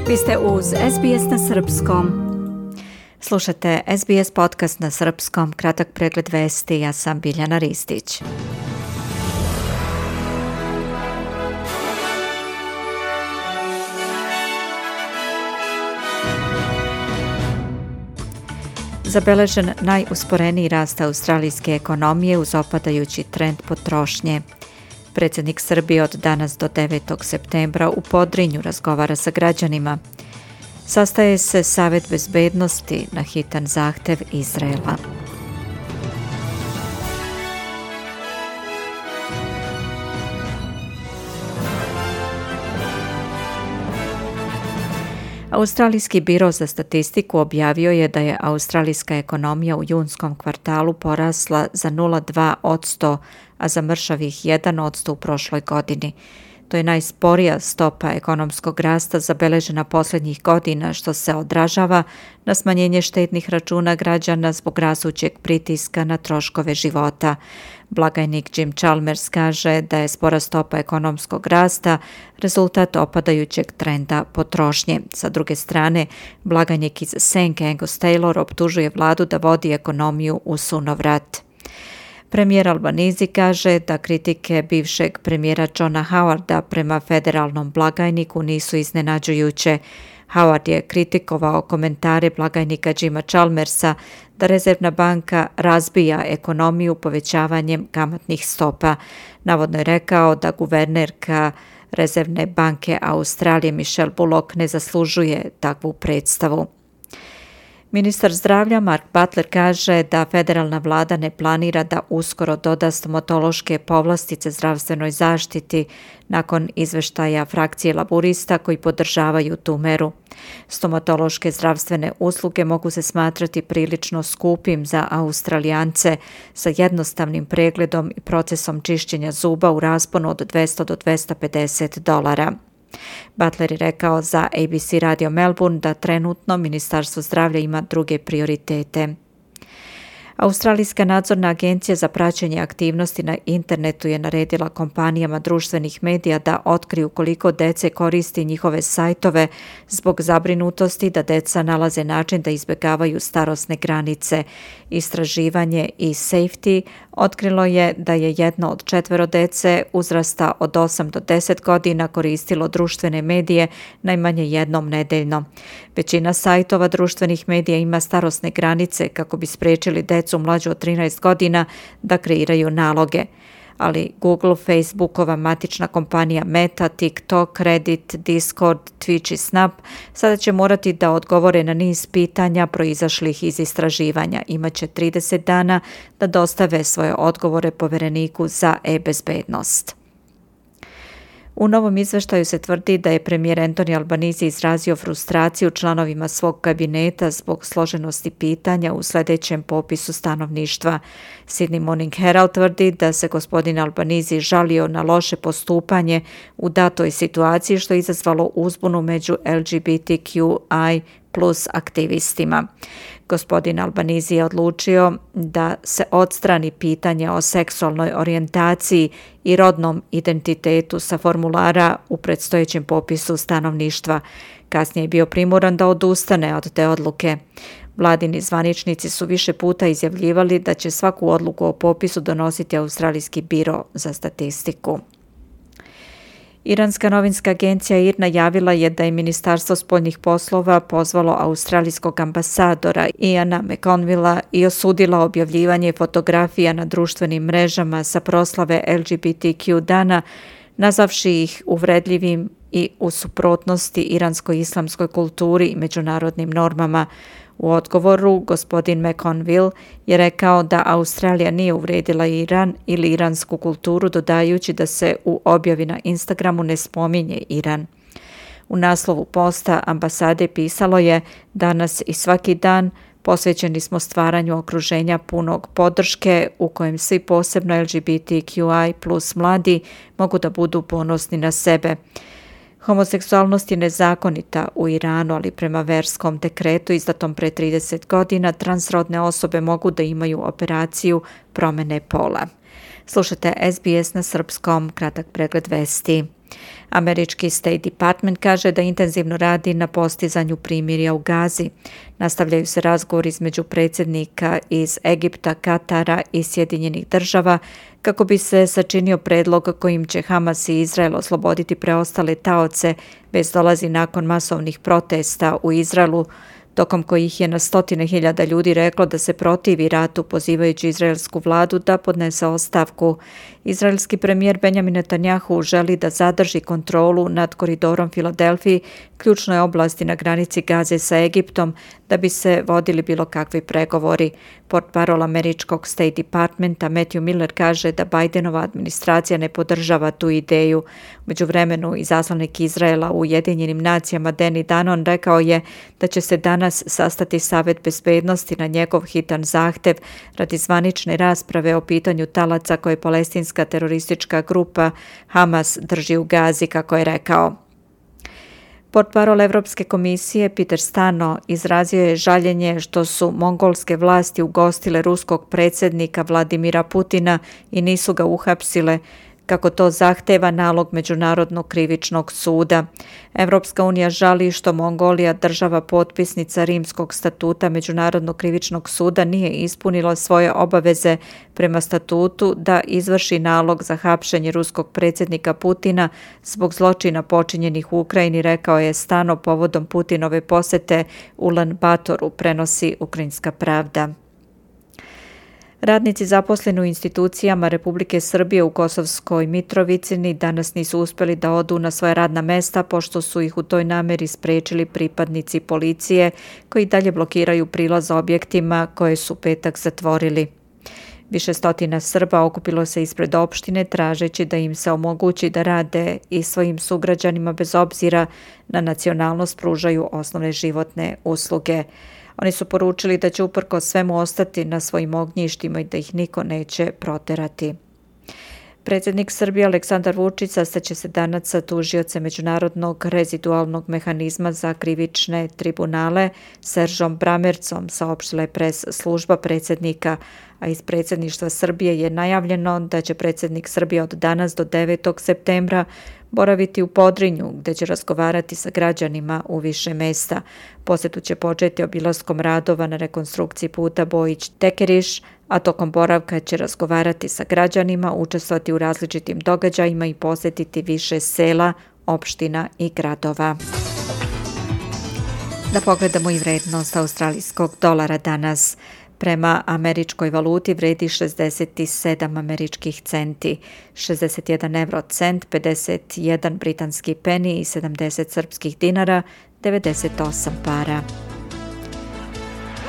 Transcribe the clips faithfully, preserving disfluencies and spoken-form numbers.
Vi ste uz S B S na srpskom. Slušate S B S podcast na srpskom, kratak pregled vesti, ja sam Biljana Ristić. Zabeležen najusporeniji rast australijske ekonomije uz opadajući trend potrošnje. Predsjednik Srbije od danas do devetog septembra u Podrinju razgovara sa građanima. Sastaje se Savet bezbednosti na hitan zahtev Izraela. Australijski biro za statistiku objavio je da je australijska ekonomija u junskom kvartalu porasla za nula zarez dva posto, a za mršavih jedan posto u prošloj godini. To je najsporija stopa ekonomskog rasta zabeležena posljednjih godina, što se odražava na smanjenje štednih računa građana zbog rastućeg pritiska na troškove života. Blagajnik Jim Chalmers kaže da je spora stopa ekonomskog rasta rezultat opadajućeg trenda potrošnje. Sa druge strane, blagajnik iz Senke Angus Taylor optužuje vladu da vodi ekonomiju u sunovrat. Premijer Albanese kaže da kritike bivšeg premijera Johna Howarda prema federalnom blagajniku nisu iznenađujuće. Howard je kritikovao komentare blagajnika Jima Chalmersa da Rezervna banka razbija ekonomiju povećavanjem kamatnih stopa. Navodno je rekao da guvernerka Rezervne banke Australije Michelle Bullock ne zaslužuje takvu predstavu. Ministar zdravlja Mark Butler kaže da federalna vlada ne planira da uskoro doda stomatološke povlastice zdravstvenoj zaštiti nakon izveštaja frakcije laburista koji podržavaju tu meru. Stomatološke zdravstvene usluge mogu se smatrati prilično skupim za Australijance sa jednostavnim pregledom i procesom čišćenja zuba u rasponu od dvesta do dvesta pedeset dolara. Butler je rekao za A B C radio Melbourne da trenutno Ministarstvo zdravlja ima druge prioritete. Australijska nadzorna agencija za praćenje aktivnosti na internetu je naredila kompanijama društvenih medija da otkriju koliko dece koristi njihove sajtove zbog zabrinutosti da deca nalaze način da izbjegavaju starosne granice. Istraživanje i Safety otkrilo je da je jedno od četvero dece uzrasta od osam do deset godina koristilo društvene medije najmanje jednom nedeljno. Većina sajtova društvenih medija ima starosne granice kako bi spriječili decu mlađu od trinaest godina da kreiraju naloge. Ali Google, Facebookova matična kompanija Meta, TikTok, Reddit, Discord, Twitch i Snap sada će morati da odgovore na niz pitanja proizašlih iz istraživanja. Imaće trideset dana da dostave svoje odgovore povjereniku za e-bezbednost. U novom izveštaju se tvrdi da je premijer Anthony Albanese izrazio frustraciju članovima svog kabineta zbog složenosti pitanja u sljedećem popisu stanovništva. Sydney Morning Herald tvrdi da se gospodin Albanese žalio na loše postupanje u datoj situaciji što je izazvalo uzbunu među L G B T Q I plus aktivistima. Gospodin Albanese je odlučio da se odstrani pitanje o seksualnoj orijentaciji i rodnom identitetu sa formulara u predstojećem popisu stanovništva. Kasnije je bio primoran da odustane od te odluke. Vladini zvaničnici su više puta izjavljivali da će svaku odluku o popisu donositi Australijski biro za statistiku. Iranska novinska agencija I R najavila je da je Ministarstvo spoljnih poslova pozvalo australijskog ambasadora Iana McConvilla i osudila objavljivanje fotografija na društvenim mrežama sa proslave L G B T Q dana, nazavši ih uvredljivim i u suprotnosti iransko-islamskoj kulturi i međunarodnim normama. U odgovoru gospodin McConville je rekao da Australija nije uvredila Iran ili iransku kulturu, dodajući da se u objavi na Instagramu ne spominje Iran. U naslovu posta ambasade pisalo je: danas i svaki dan posvećeni smo stvaranju okruženja punog podrške u kojem svi, posebno L G B T Q I plus mladi, mogu da budu ponosni na sebe. Homoseksualnost je nezakonita u Iranu, ali prema verskom dekretu izdatom pre trideset godina transrodne osobe mogu da imaju operaciju promjene pola. Slušate S B S na srpskom, kratak pregled vesti. Američki State Department kaže da intenzivno radi na postizanju primirja u Gazi. Nastavljaju se razgovori između predsjednika iz Egipta, Katara i Sjedinjenih država kako bi se sačinio predlog kojim će Hamas i Izrael osloboditi preostale taoce, već dolazi nakon masovnih protesta u Izraelu, tokom kojih je na stotine hiljada ljudi reklo da se protivi ratu, pozivajući izraelsku vladu da podnese ostavku. Izraelski premijer Benjamin Netanjahu želi da zadrži kontrolu nad koridorom Filadelfiji, ključnoj oblasti na granici Gaze sa Egiptom, da bi se vodili bilo kakvi pregovori. Portparol američkog State Departmenta Matthew Miller kaže da Bidenova administracija ne podržava tu ideju. U međuvremenu, izaslanik Izraela u Ujedinjenim nacijama Danny Danon rekao je da će se danas sastati Savet bezbednosti na njegov hitan zahtev radi zvanične rasprave o pitanju talaca koje palestinska teroristička grupa Hamas drži u Gazi, kako je rekao. Portparol Evropske komisije Peter Stano izrazio je žaljenje što su mongolske vlasti ugostile ruskog predsjednika Vladimira Putina i nisu ga uhapsile, kako to zahteva nalog Međunarodnog krivičnog suda. Evropska unija žali što Mongolija, država potpisnica Rimskog statuta Međunarodnog krivičnog suda, nije ispunila svoje obaveze prema statutu da izvrši nalog za hapšenje ruskog predsjednika Putina zbog zločina počinjenih u Ukrajini, rekao je Stano povodom Putinove posete Ulan Batoru, prenosi Ukrajinska pravda. Radnici zaposleni u institucijama Republike Srbije u Kosovskoj Mitrovici danas nisu uspjeli da odu na svoja radna mesta, pošto su ih u toj nameri sprečili pripadnici policije koji dalje blokiraju prilaz objektima koje su petak zatvorili. Više stotina Srba okupilo se ispred opštine tražeći da im se omogući da rade i svojim sugrađanima bez obzira na nacionalnost pružaju osnovne životne usluge. Oni su poručili da će uprkos svemu ostati na svojim ognjištima i da ih niko neće proterati. Predsjednik Srbije Aleksandar Vučić sastaće se danas sa tužiocem Međunarodnog rezidualnog mehanizma za krivične tribunale Seržom Bramercom, saopštila je pres služba predsjednika, a iz predsjedništva Srbije je najavljeno da će predsjednik Srbije od danas do devetog septembra boraviti u Podrinju, gdje će razgovarati sa građanima u više mesta. Posjetu će početi obilaskom radova na rekonstrukciji puta Bojić-Tekeriš, a tokom boravka će razgovarati sa građanima, učestvovati u različitim događajima i posjetiti više sela, opština i gradova. Da pogledamo i vrednost australijskog dolara danas. Prema američkoj valuti vredi šezdeset sedam američkih centi, šezdeset jedan euro cent, pedeset jedan britanski peni i sedamdeset srpskih dinara, devedeset osam para.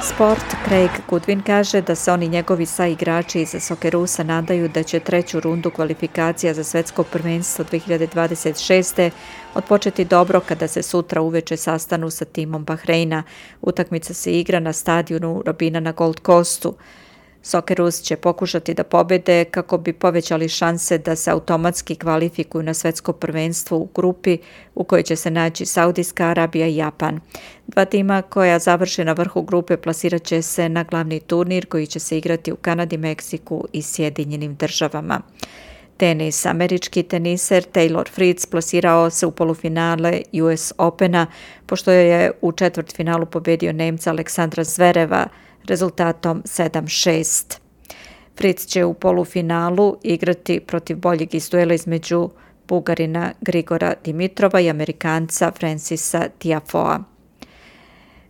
Sport. Craig Goodwin kaže da se oni njegovi saigrači iz Soccerusa nadaju da će treću rundu kvalifikacija za svetsko prvenstvo dve hiljade dvadeset šeste odpočeti dobro kada se sutra uveče sastanu sa timom Bahreina. Utakmica se igra na stadionu Robina na Gold Coastu. Soccerus će pokušati da pobede kako bi povećali šanse da se automatski kvalifikuju na svetsko prvenstvo u grupi u kojoj će se naći Saudijska Arabija i Japan. Dva tima koja završe na vrhu grupe plasirat će se na glavni turnir koji će se igrati u Kanadi, Meksiku i Sjedinjenim državama. Tenis. Američki teniser Taylor Fritz plasirao se u polufinale U S Opena pošto je u četvrtfinalu pobedio Nemca Aleksandra Zvereva rezultatom sedam šest. Fritz će u polufinalu igrati protiv boljeg iz duela između Bugarina Grigora Dimitrova i Amerikanca Francisa Tiafoea.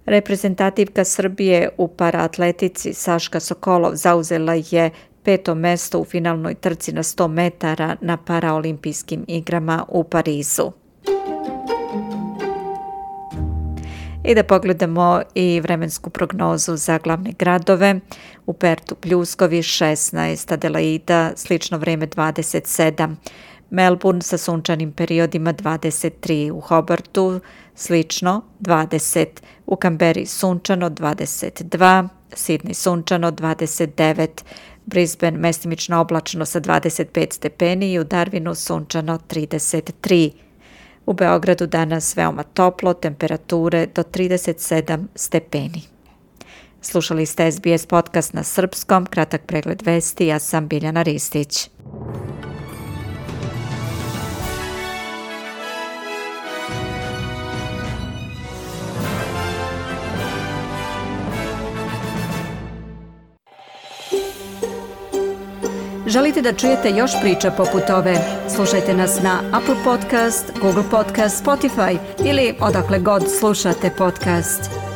Reprezentativka Srbije u paraatletici Saška Sokolov zauzela je peto mesto u finalnoj trci na sto metara na paraolimpijskim igrama u Parizu. I da pogledamo i vremensku prognozu za glavne gradove. U Pertu pljuskovi šesnaest, Adelaida slično vrijeme dvadeset sedam, Melbourne sa sunčanim periodima dvadeset tri, u Hobartu slično dvadeset, u Kamberi sunčano dvadeset dva, Sidney sunčano dvadeset devet, Brisbane mestimično oblačno sa dvadeset pet stepeni i u Darwinu sunčano trideset tri. U Beogradu danas veoma toplo, temperature do trideset sedam stepeni. Slušali ste S B S podcast na srpskom, kratak pregled vesti, ja sam Biljana Ristić. Želite da čujete još priča poput ove? Slušajte nas na Apple Podcast, Google Podcast, Spotify ili odakle god slušate podcast.